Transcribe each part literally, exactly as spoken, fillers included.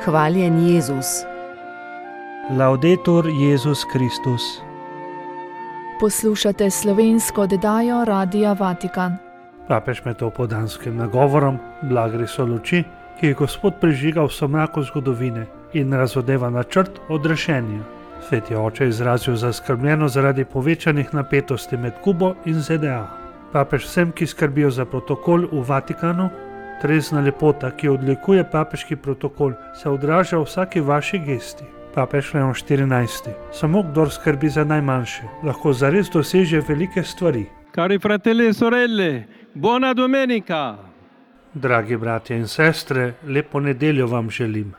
Hvaljen Jezus. Laudetur Jezus Kristus. Poslušate slovensko oddajo Radia Vatikan. Papež med opoldanskim nagovorom blagri so luči, ki je Gospod prižigal v somraku zgodovine in razodeva načrt odrešenja. Sveti oče je izrazil zaskrbljenost zaradi povečanih napetosti med Kubo in Z D A. Papež vsem, ki skrbijo za protokol v Vatikanu, trezna lepota, ki odlikuje papeški protokol, se odraža v vsaki vaši gesti. Papež Leon štirinajsti. Samo kdor skrbi za najmanjše, lahko zares doseže velike stvari. Cari fratelli e sorelle, buona domenica! Dragi bratje in sestre, lepo nedeljo vam želim.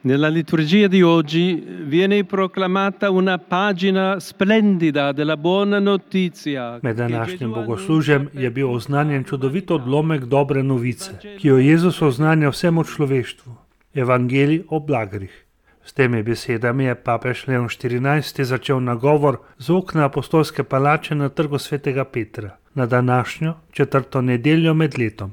Nella liturgia di oggi viene proclamata una pagina splendida della buona notizia. Med današnjim bogoslužjem je bil oznanjen čudovit odlomek dobre novice, ki jo Jezus oznanja vsemu človeštvu. Evangelij o blagrih. S temi besedami je papež Leon štirinajsti začel nagovor z okna apostolske palače na trgu svetega Petra, na današnjo četrto nedeljo med letom.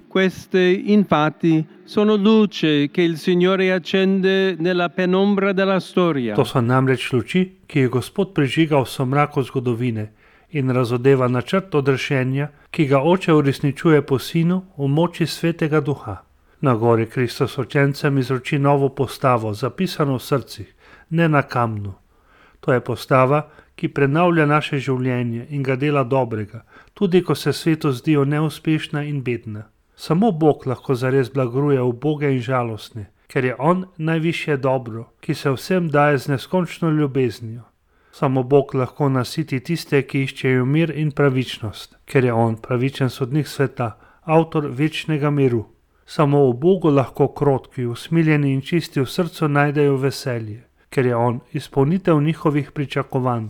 Queste infatti sono luce che il Signore accende nella penombra della storia. To so namreč luči, ki je Gospod prižigal v somraku zgodovine in razodeva načrt odrešenja, ki ga Oče uresničuje po Sinu v moči Svetega Duha. Na gori Kristus učencem izroči novo postavo, zapisano v srcih, ne na kamnu. To je postava, ki prenavlja naše življenje in ga dela dobrega, tudi ko se svetu zdijo neuspešna in bedna. Samo Bog lahko zares blagruje uboge in žalostne, ker je On najvišje dobro, ki se vsem daje z neskončno ljubeznijo. Samo Bog lahko nasiti tiste, ki iščejo mir in pravičnost, ker je On pravičen sodnik sveta, avtor večnega miru. Samo v Bogu lahko krotki, usmiljeni in čisti v srcu najdejo veselje, ker je On izpolnitev njihovih pričakovanj.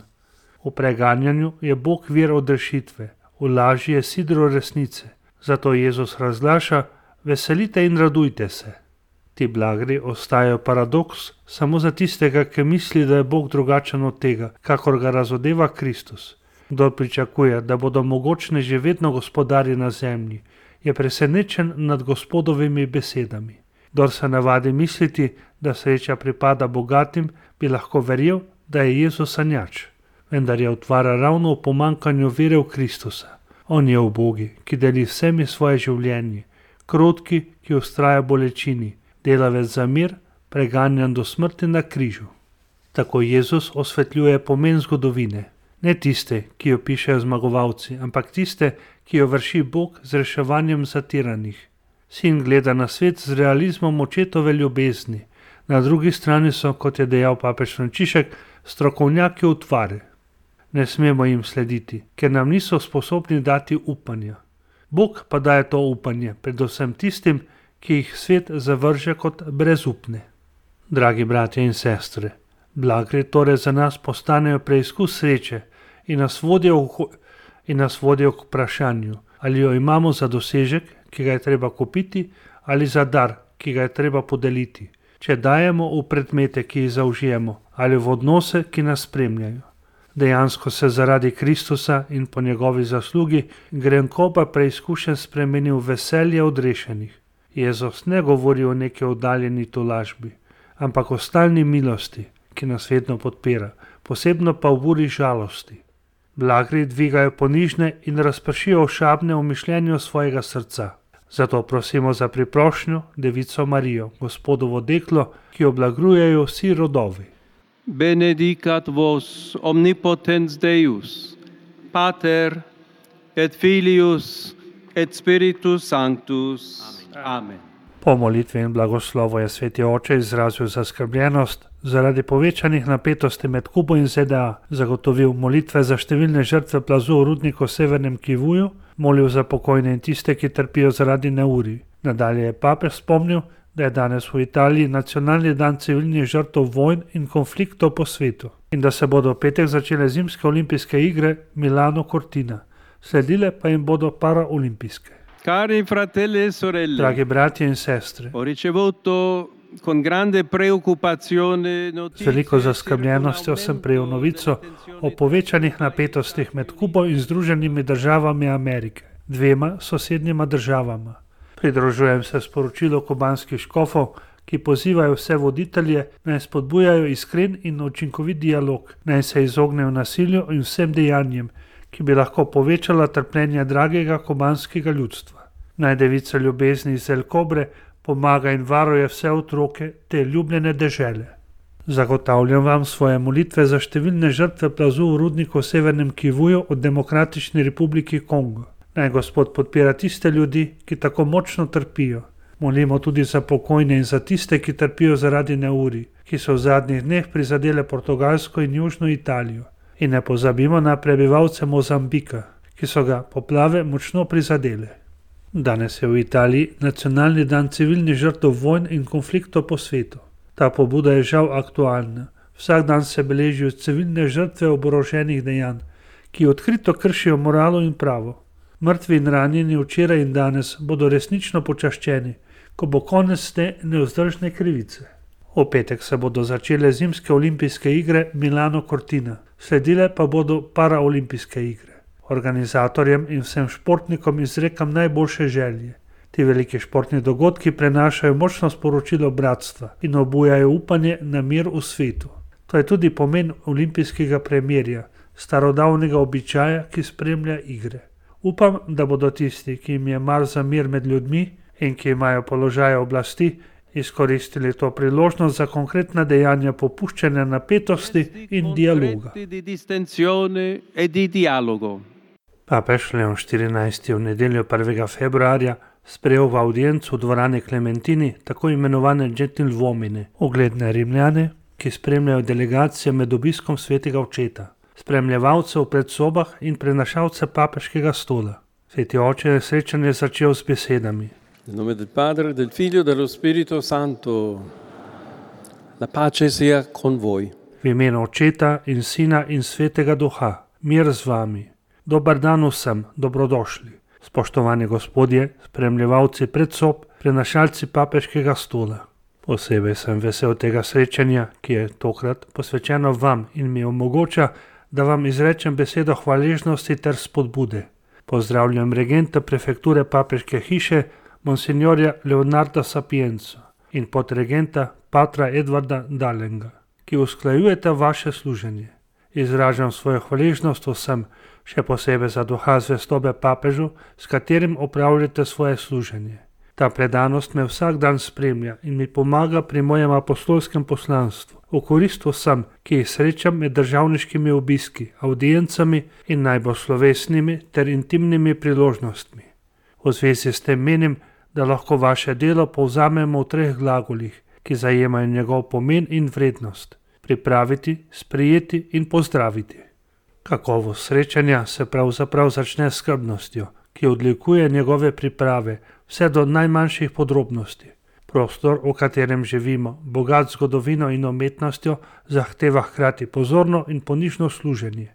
V preganjanju je Bog vir odrešitve, v laži je sidro resnice. Zato Jezus razglaša: veselite in radujte se. Ti blagri ostajajo paradoks samo za tistega, ki misli, da je Bog drugačen od tega, kakor ga razodeva Kristus. Kdor pričakuje, da bodo mogočne že vedno gospodarji na zemlji, je presenečen nad Gospodovimi besedami. Kdor se navadi misliti, da sreča pripada bogatim, bi lahko verjel, da je Jezus sanjač. Vendar je utvara ravno v pomankanju vere v Kristusa. On je ubogi, ki deli vsemi svoje življenje, krotki, ki ustraja bolečini, delavec za mir, preganjan do smrti na križu. Tako Jezus osvetljuje pomen zgodovine. Ne tiste, ki jo pišejo zmagovalci, ampak tiste, ki jo vrši Bog z reševanjem zatiranih. Sin gleda na svet z realizmom očetove ljubezni. Na drugi strani so, kot je dejal papež Frančišek, strokovnjaki utvare. Ne smemo jim slediti, ker nam niso sposobni dati upanja. Bog pa daje to upanje, predvsem tistim, ki jih svet zavrže kot brezupne. Dragi bratje in sestre, blagri torej za nas postanejo preizkus sreče in nas vodijo, v, in nas vodijo k vprašanju, ali jo imamo za dosežek, ki ga je treba kupiti, ali za dar, ki ga je treba podeliti. Če dajemo v predmete, ki jih zaužijemo, ali v odnose, ki nas spremljajo. Dejansko se zaradi Kristusa in po njegovi zaslugi grenkoba preizkušen spremeni v veselje odrešenih. Jezus ne govori o neki oddaljeni tolažbi, ampak o stalni milosti, ki nas vedno podpira, posebno pa v buri žalosti. Blagri dvigajo ponižne in razpršijo ošabne v mišljenju svojega srca. Zato prosimo za priprošnjo Devico Marijo, Gospodovo deklo, ki jo blagrujejo vsi rodovi. Benedicat vos omnipotens Deus, Pater et Filius et Spiritus Sanctus. Amen. Po molitvi in blagoslovu je sveti oče izrazil zaskrbljenost zaradi povečanih napetosti med Kubo in Z D A, zagotovil molitve za številne žrtve plazu v rudniku v Severnem Kivuju, molil za pokojne in tiste, ki trpijo zaradi neurij. Nadalje je papež spomnil, da je danes v Italiji nacionalni dan civilnih žrtev vojn in konfliktov po svetu in da se bodo v petek začele zimske olimpijske igre Milano Cortina, sledile pa jim bodo paraolimpijske. Cari fratelli e sorelle, dragi bratje in sestre, ho ricevuto con grande preoccupazione z veliko zaskrbljenostjo sem prejel novico o povečanih napetostih med Kubo in Združenimi državami Amerike, dvema sosednjima državama. Pridružujem se sporočilu kubanskih škofov, ki pozivajo vse voditelje, naj spodbujajo iskren in učinkovit dialog, naj se izognejo nasilju in vsem dejanjem, ki bi lahko povečala trpljenje dragega kubanskega ljudstva. Naj devica ljubezni iz El Cobre pomaga in varuje vse otroke te ljubljene dežele. Zagotavljam vam svoje molitve za številne žrtve plazu v rudniku v Severnem Kivuju od Demokratične republike Kongo. Naj Gospod podpira tiste ljudi, ki tako močno trpijo. Molimo tudi za pokojne in za tiste, ki trpijo zaradi neurij, ki so v zadnjih dneh prizadele Portugalsko in Južno Italijo. In ne pozabimo na prebivalce Mozambika, ki so ga poplave močno prizadele. Danes je v Italiji nacionalni dan civilnih žrtev vojn in konfliktov po svetu. Ta pobuda je žal aktualna. Vsak dan se beležijo civilne žrtve oboroženih dejanj, ki odkrito kršijo moralo in pravo. Mrtvi in ranjeni včeraj in danes bodo resnično počaščeni, ko bo konec te nevzdržne krivice. V petek se bodo začele zimske olimpijske igre Milano Cortina, sledile pa bodo paraolimpijske igre. Organizatorjem in vsem športnikom izrekam najboljše želje. Ti veliki športni dogodki prenašajo močno sporočilo bratstva in obujajo upanje na mir v svetu. To je tudi pomen olimpijskega premirja, starodavnega običaja, ki spremlja igre. Upam, da bodo tisti, ki jim je mar za mir med ljudmi in ki imajo položaje oblasti, izkoristili to priložnost za konkretna dejanja popuščanja napetosti in dialoga. Papež Leon štirinajsti v nedeljo prvega februarja sprejel v avdiencu v dvorani Klementini tako imenovane gentilvomine, ugledne Rimljane, ki spremljajo delegacije med obiskom svetega očeta, spremljevalce v predsobah in prenašalce papeškega stola. Sveti oče je srečanje začel s besedami. Nel nome del Padre, del Figlio e dello Spirito Santo. La pace sia con voi. V imenu Očeta in Sina in Svetega Duha, mir z vami. Dobar dan vsem, dobrodošli. Spoštovani gospodje, spremljevalci predsob, prenašalci papeškega stola. Posebej sem vesel tega srečanja, ki je tokrat posvečeno vam in mi omogoča, da vam izrečem besedo hvaležnosti ter spodbude. Pozdravljam regenta prefekture papeške hiše, monsignorja Leonarda Sapienza in podregenta patra Edvarda Dalenga, ki usklajujete vaše služenje. Izražam svojo hvaležnost vsem, še posebej za duha zvestobe papežu, s katerim opravljate svoje služenje. Ta predanost me vsak dan spremlja in mi pomaga pri mojem apostolskem poslanstvu, v korist vsem, ki jih srečam med državniškimi obiski, audiencami in najbolj slovesnimi ter intimnimi priložnostmi. V zvezi s tem menim, da lahko vaše delo povzamemo v treh glagolih, ki zajemajo njegov pomen in vrednost: pripraviti, sprejeti in pozdraviti. Kakovost srečanja se pravzaprav začne s skrbnostjo, ki odlikuje njegove priprave, vse do najmanjših podrobnosti. Prostor, v katerem živimo, bogat zgodovino in umetnostjo, zahteva hkrati pozorno in ponižno služenje.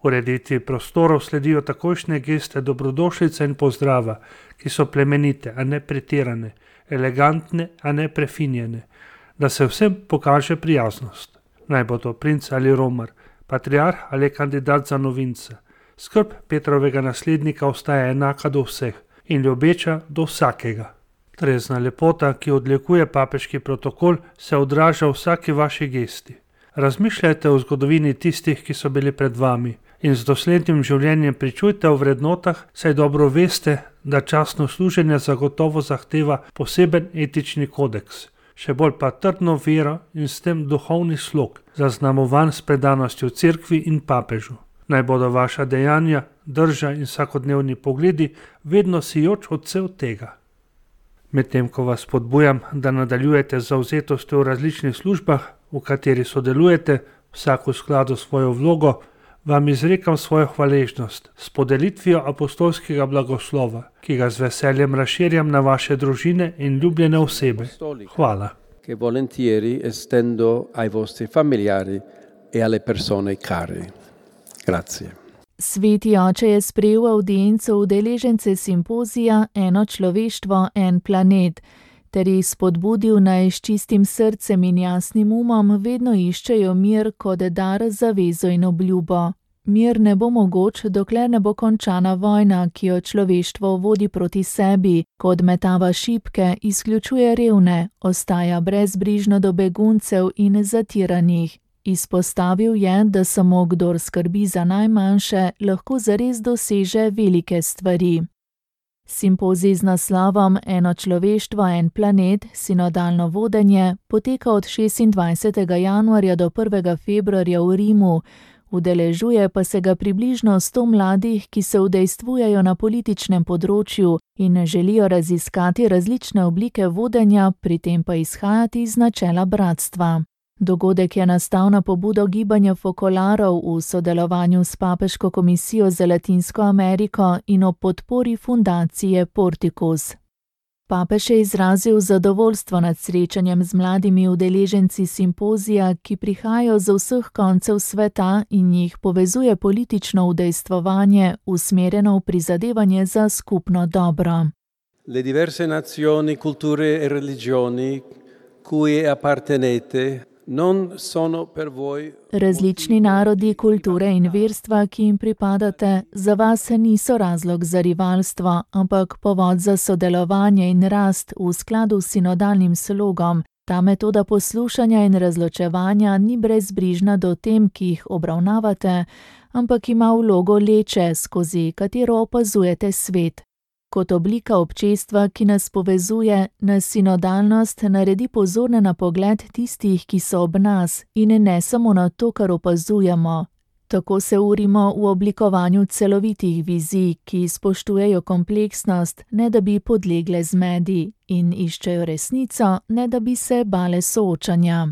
Ureditvi prostorov sledijo takojšnje geste dobrodošlice in pozdrava, ki so plemenite, a ne pretirane, elegantne, a ne prefinjene, da se vsem pokaže prijaznost. Naj bo to princ ali romar, patriarh ali kandidat za novinca. Skrb Petrovega naslednika ostaja enaka do vseh in ljubeča do vsakega. Trezna lepota, ki odlikuje papeški protokol, se odraža v vsaki vaši gesti. Razmišljajte o zgodovini tistih, ki so bili pred vami, in z doslednim življenjem pričujte o vrednotah, saj dobro veste, da častno služenje zagotovo zahteva poseben etični kodeks, še bolj pa trdno vero in s tem duhovni slog, zaznamovan s predanostjo cerkvi in papežu. Naj bodo vaša dejanja, drža in vsakodnevni pogledi vedno sijoč odsev tega. Medtem ko vas spodbujam, da nadaljujete z zavzetostjo v različnih službah, v kateri sodelujete, vsak v skladu s svojo vlogo, vam izrekam svojo hvaležnost s podelitvijo apostolskega blagoslova, ki ga z veseljem razširjam na vaše družine in ljubljene osebe. Hvala. Che volentieri estendo ai vostri familiari e alle persone care. Grazie. Sveti oče je sprejel avdienco udeležence simpozija Eno človeštvo, en planet, ter jih spodbudil, naj s čistim srcem in jasnim umom vedno iščejo mir kot dar, zavezo in obljubo. Mir ne bo mogoč, dokler ne bo končana vojna, ki jo človeštvo vodi proti sebi, ko odmetava šibke, izključuje revne, ostaja brezbrižno do beguncev in zatiranih. Izpostavil je, da samo kdor skrbi za najmanjše, lahko zares doseže velike stvari. Simpozij z naslovom Eno človeštvo, en planet, sinodalno vodenje poteka od šestindvajsetega januarja do prvega februarja v Rimu, udeležuje pa se ga približno sto mladih, ki se udejstvujejo na političnem področju in želijo raziskati različne oblike vodenja, pri tem pa izhajati iz načela bratstva. Dogodek je nastal na pobudo gibanja Fokolarov v sodelovanju s Papeško komisijo za Latinsko Ameriko in ob podpori fundacije Porticus. Papež je izrazil zadovoljstvo nad srečanjem z mladimi udeleženci simpozija, ki prihajajo z vseh koncev sveta in jih povezuje politično udejstvovanje, usmerjeno v prizadevanje za skupno dobro. Le diverse nazioni, culture e religioni cui appartenete non sono per voi. Različni narodi, kulture in verstva, ki jim pripadate, za vas niso razlog za rivalstvo, ampak povod za sodelovanje in rast v skladu s sinodalnim slogom. Ta metoda poslušanja in razločevanja ni brezbrižna do tem, ki jih obravnavate, ampak ima vlogo leče, skozi katero opazujete svet. Kot oblika občestva, ki nas povezuje, nas sinodalnost naredi pozorne na pogled tistih, ki so ob nas, in ne samo na to, kar opazujemo. Tako se urimo v oblikovanju celovitih vizij, ki spoštujejo kompleksnost, ne da bi podlegle zmedi, in iščejo resnico, ne da bi se bale soočanja.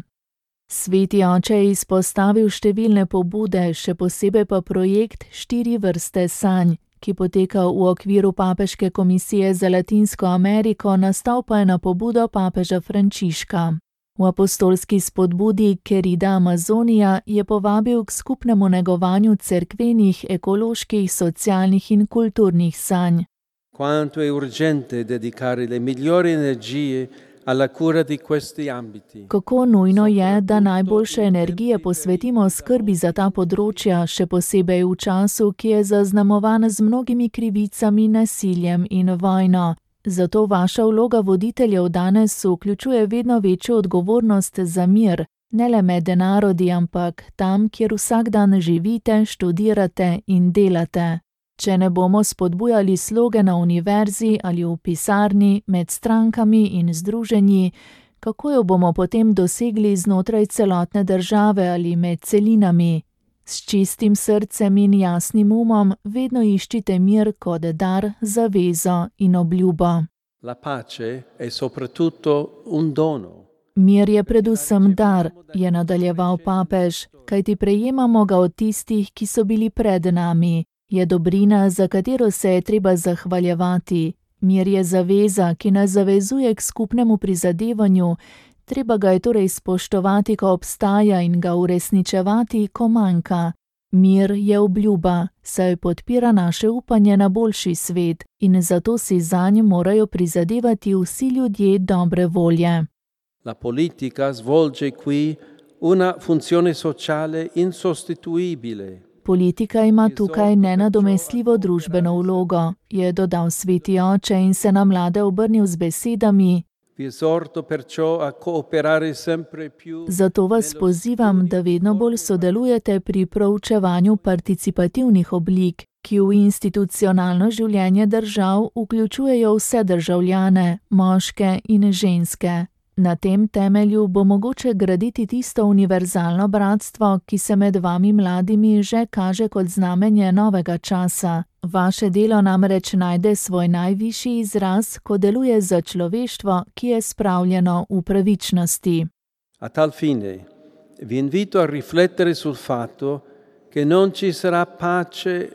Sveti oče je izpostavil številne pobude, še posebej pa projekt Štiri vrste sanj, ki poteka v okviru Papeške komisije za Latinsko Ameriko, nastal pa je na pobudo papeža Frančiška. V apostolski spodbudi Querida Amazonija je povabil k skupnemu negovanju cerkvenih, ekoloških, socialnih in kulturnih sanj. Quanto è urgente dedicare le migliori energie alla cura di questi ambiti. Kako nujno je, da najboljše energije posvetimo skrbi za ta področja, še posebej v času, ki je zaznamovan z mnogimi krivicami, nasiljem in vojno. Zato vaša vloga voditeljev danes vključuje vedno večjo odgovornost za mir, ne le med narodi, ampak tam, kjer vsak dan živite, študirate in delate. Če ne bomo spodbujali sloge na univerzi ali v pisarni, med strankami in združenji, kako jo bomo potem dosegli znotraj celotne države ali med celinami? S čistim srcem in jasnim umom vedno iščite mir kot dar, zavezo in obljubo. La pace è soprattutto un dono. Mir je predvsem dar, je nadaljeval papež, kajti prejemamo ga od tistih, ki so bili pred nami. Je dobrina, za katero se je treba zahvaljevati. Mir je zaveza, ki nas zavezuje k skupnemu prizadevanju, treba ga je torej spoštovati, ko obstaja, in ga uresničevati, ko manjka. Mir je obljuba, saj podpira naše upanje na boljši svet in zato si zanj morajo prizadevati vsi ljudje dobre volje. La politica svolge qui una funzione sociale insostituibile. Politika ima tukaj nenadomestljivo družbeno vlogo, je dodal sveti oče in se na mlade obrnil z besedami. Zato vas pozivam, da vedno bolj sodelujete pri proučevanju participativnih oblik, ki v institucionalno življenje držav vključujejo vse državljane, moške in ženske. Na tem temelju bo mogoče graditi tisto univerzalno bratstvo, ki se med vami mladimi že kaže kot znamenje novega časa. Vaše delo namreč najde svoj najvišji izraz, ko deluje za človeštvo, ki je spravljeno v pravičnosti. A tal fine, vi invito a riflettere sul fatto che non ci sarà pace.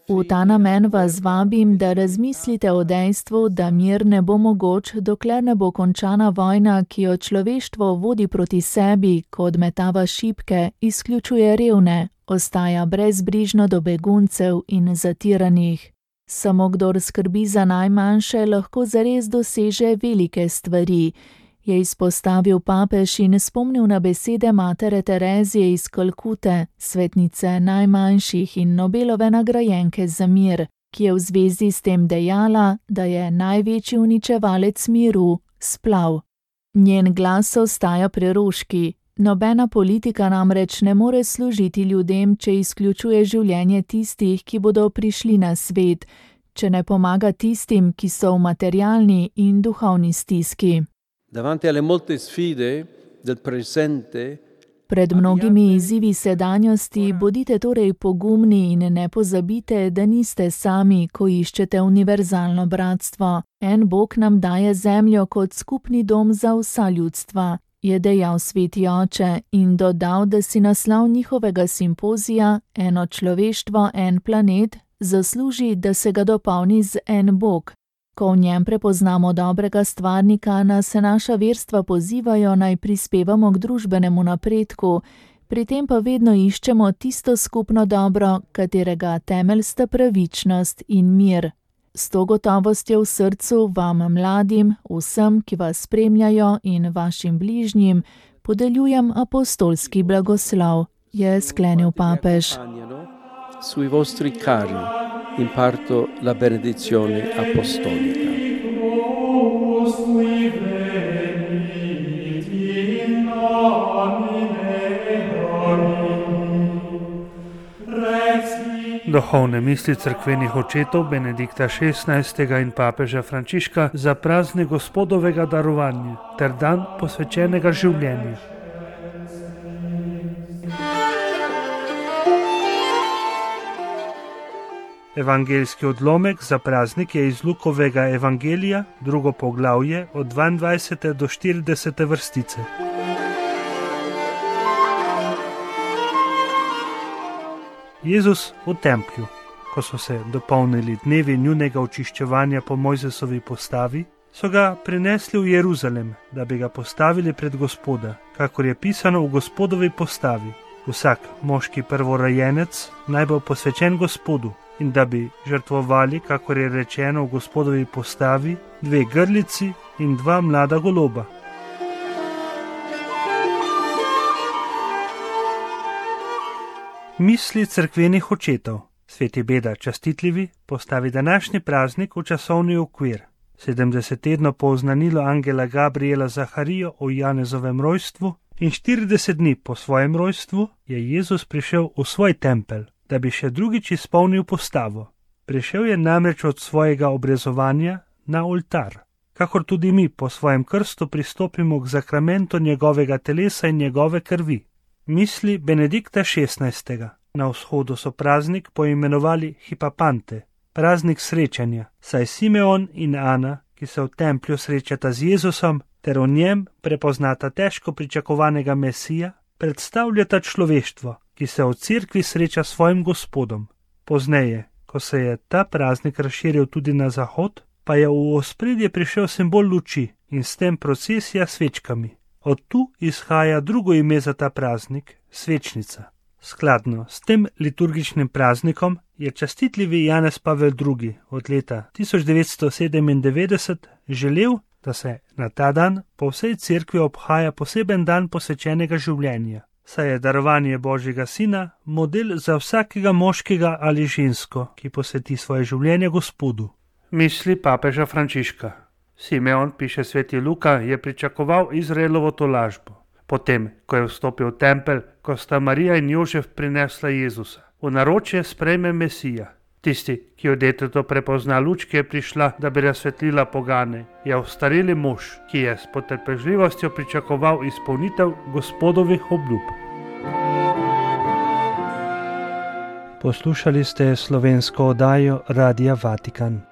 V ta namen vas vabim, da razmislite o dejstvu, da mir ne bo mogoč, dokler ne bo končana vojna, ki jo človeštvo vodi proti sebi, ko odmetava šibke, izključuje revne, ostaja brezbrižno do beguncev in zatiranih. Samo kdor skrbi za najmanjše, lahko zares doseže velike stvari. je izpostavil papež in spomnil na besede matere Terezije iz Kalkute, svetnice najmanjših in Nobelove nagrajenke za mir, ki je v zvezi s tem dejala, da je največji uničevalec miru splav. Njen glas ostaja preroški. Nobena politika namreč ne more služiti ljudem, če izključuje življenje tistih, ki bodo prišli na svet, če ne pomaga tistim, ki so v materialni in duhovni stiski. Davanti alle molte sfide del presente, Pred mnogimi izzivi sedanjosti bodite torej pogumni in ne pozabite, da niste sami, ko iščete univerzalno bratstvo. En Bog nam daje zemljo kot skupni dom za vsa ljudstva, je dejal sveti oče in dodal, da si naslov njihovega simpozija Eno človeštvo, en planet zasluži, da se ga dopolni z en Bog. Ko v njem prepoznamo dobrega stvarnika, nas naša verstva pozivajo, naj prispevamo k družbenemu napredku, pri tem pa vedno iščemo tisto skupno dobro, katerega temelj sta pravičnost in mir. S to gotovostjo v srcu vam mladim, vsem, ki vas spremljajo in vašim bližnjim, podeljujem apostolski blagoslov, je sklenil papež. Sui vostri cari imparto la benedizione apostolica. Duhovne misli cerkvenih očetov Benedikta šestnajstega in papeža Frančiška za praznik Gospodovega darovanja ter dan posvečenega življenja. Evangeljski odlomek za praznik je iz Lukovega evangelija, drugo poglavje, od dvaindvajsete do štiridesete vrstice. Jezus v templju. Ko so se dopolnili dnevi njunega očiščevanja po Mojzesovi postavi, so ga prinesli v Jeruzalem, da bi ga postavili pred Gospoda, kakor je pisano v Gospodovi postavi. Vsak moški prvorojenec naj bo posvečen Gospodu, in da bi žrtvovali, kakor je rečeno v Gospodovi postavi, dve grlici in dva mlada goloba. Misli cerkvenih očetov. Sveti Beda častitljivi postavi današnji praznik v časovni okvir. sedemdeset tednov po oznanilu angela Gabriela Zaharijo o Janezovem rojstvu in štirideset dni po svojem rojstvu je Jezus prišel v svoj tempelj, da bi še drugič izpolnil postavo. Prišel je namreč od svojega obrezovanja na oltar, kakor tudi mi po svojem krstu pristopimo k zakramentu njegovega telesa in njegove krvi. Misli Benedikta šestnajstega. Na vzhodu so praznik poimenovali Hipapante, praznik srečanja, saj Simeon in Ana, ki se v templju srečata z Jezusom, ter v njem prepoznata težko pričakovanega Mesija, predstavljata človeštvo, ki se v cerkvi sreča s svojim Gospodom. Pozneje, ko se je ta praznik razširil tudi na zahod, pa je v ospredje prišel simbol luči in s tem procesija s svečkami. Od tu izhaja drugo ime za ta praznik, svečnica. Skladno s tem liturgičnim praznikom je častitljivi Janez Pavel drugi od leta tisoč devetsto sedemindevetdeset želel, da se na ta dan po vsej cerkvi obhaja poseben dan posvečenega življenja, saj je darovanje Božjega Sina model za vsakega moškega ali žensko, ki posveti svoje življenje Gospodu. Misli papeža Frančiška. Simeon, piše sveti Luka, je pričakoval Izraelovo tolažbo. Potem, ko je vstopil v tempelj, ko sta Marija in Jožef prinesla Jezusa, v naročje sprejme Mesija. Tisti, ki od deteto prepozna luč, ki je prišla, da bi razsvetlila pogane, je ostareli mož, ki je s potrpežljivostjo pričakoval izpolnitev Gospodovih obljub. Poslušali ste slovensko oddajo Radia Vatikan.